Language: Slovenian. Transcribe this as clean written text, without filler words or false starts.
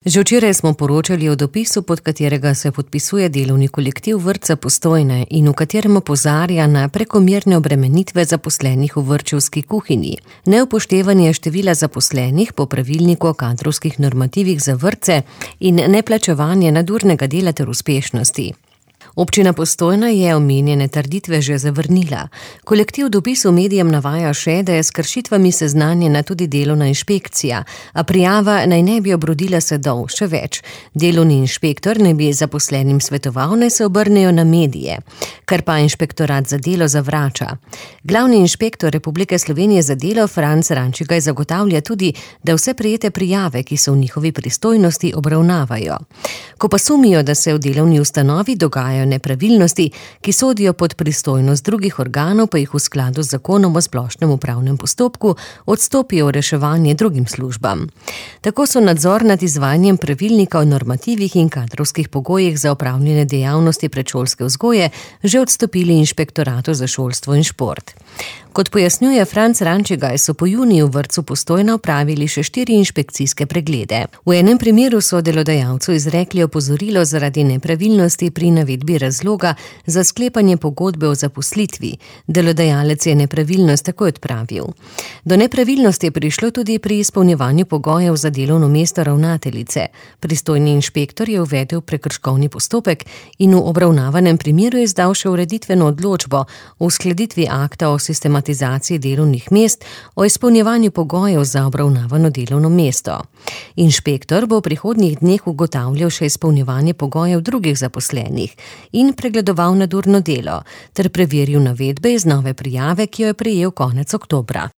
Že včeraj smo poročali o dopisu, pod katerega se podpisuje delovni kolektiv vrtca Postojna in v katerem opozarja na prekomerne obremenitve zaposlenih v vrtčevski kuhinji, neupoštevanje števila zaposlenih po pravilniku o kadrovskih normativih za vrtce in neplačevanje nadurnega dela ter uspešnosti. Občina Postojna je omenjene trditve že zavrnila. Kolektiv v dopisu medijem navaja še, da je s kršitvami seznanjena tudi delovna inšpekcija, a prijava naj ne bi obrodila sadov, še več. Delovni inšpektor naj bi zaposlenim svetoval, naj se obrnejo na medije, kar pa inšpektorat za delo zavrača. Glavni inšpektor Republike Slovenije za delo Franc Rančigaj zagotavlja tudi, da vse prejete prijave, ki so v njihovi pristojnosti, obravnavajo. Ko pa sumijo, da se v delovni ustanovi dogajajo nepravilnosti, ki sodijo pod pristojnost drugih organov, pa jih v skladu z zakonom o splošnem upravnem postopku odstopijo v reševanje drugim službam. Tako so nadzor nad izvajanjem pravilnika o normativih in kadrovskih pogojih za opravljene dejavnosti predšolske vzgoje že odstopili inšpektoratu za šolstvo in šport. Kot pojasnjuje Franc Rančigaj, so po juniju v vrtcu Postojna opravili še 4 inšpekcijske preglede. V enem primeru so delodajalcu izrekli opozorilo zaradi nepravilnosti pri navedbi razloga za sklepanje pogodbe o zaposlitvi. Delodajalec je nepravilnost takoj odpravil. Do nepravilnosti je prišlo tudi pri izpolnjevanju pogojev za delovno mesto ravnateljice. Pristojni inšpektor je uvedel prekrškovni postopek in v obravnavanem primeru izdal še ureditveno odločbo o uskladitvi akta o sistematizaciji delovnih mest, o izpolnjevanju pogojev za obravnavano delovno mesto. Inšpektor bo v prihodnjih dneh ugotavljal še izpolnjevanje pogojev drugih zaposlenih in pregledoval nadurno delo ter preveril navedbe iz nove prijave, ki jo je prejel konec oktobra.